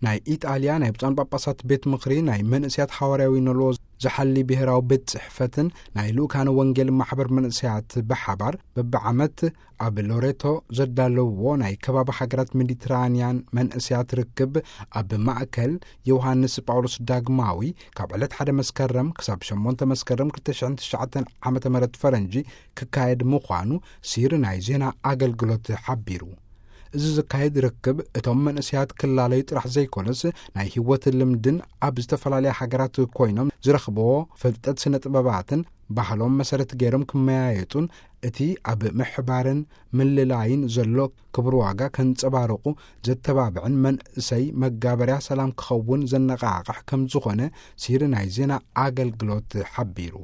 ናይ ኢጣልያ ናይ ብፁዓን ጳጳሳት ቤት ምኽሪ ናይ መንእስያት ሓዋርያዊ ንልዎ ዝሓሊ ብሔራዊ ቤት ጽሕፈትን ናይ ልኡካነ ወንጌል ማሕበር መንእስያት ብሓባር በብዓመት ኣብ ሎሬቶ ዘዳለውዎ ናይ ከባቢ ሃገራት ሜዲትራንያን መንእስያት ርክብ ኣብ ማእከል ዮሃንስ ጳውሎስ ዳግማዊ ካብ ዕለት ሓደ መስከረም ክሳብ ሸሞንተ መስከረም ክልተ ሽሕን ትሽዓተን ዓመተ ምህረት ፈረንጂ ክካየድ ምዃኑ ሲሪ ናይ ዜና ኣገልግሎት ሓቢሩ። እዚ ዝካየድ ርክብ እቶም መንእስያት ክላለዩ ጥራሕ ዘይኮነስ ናይ ህይወት ልምድን ኣብ ዝተፈላለያ ሃገራት ኮይኖም ዝረኽብዎ ፍልጠት ስነ ጥበባትን ባህሎም መሰረት ገይሮም ክመያየጡን እቲ ኣብ ምሕባርን ምልላይን ዘሎ ክብር ዋጋ ከንጸባርቑ ዘተባብዕን መንእሰይ መጋበርያ ሰላም ክኸውን ዘነቓቕሕ ከም ዝኾነ ሲሪ ናይ ዜና ኣገልግሎት ሓቢሩ።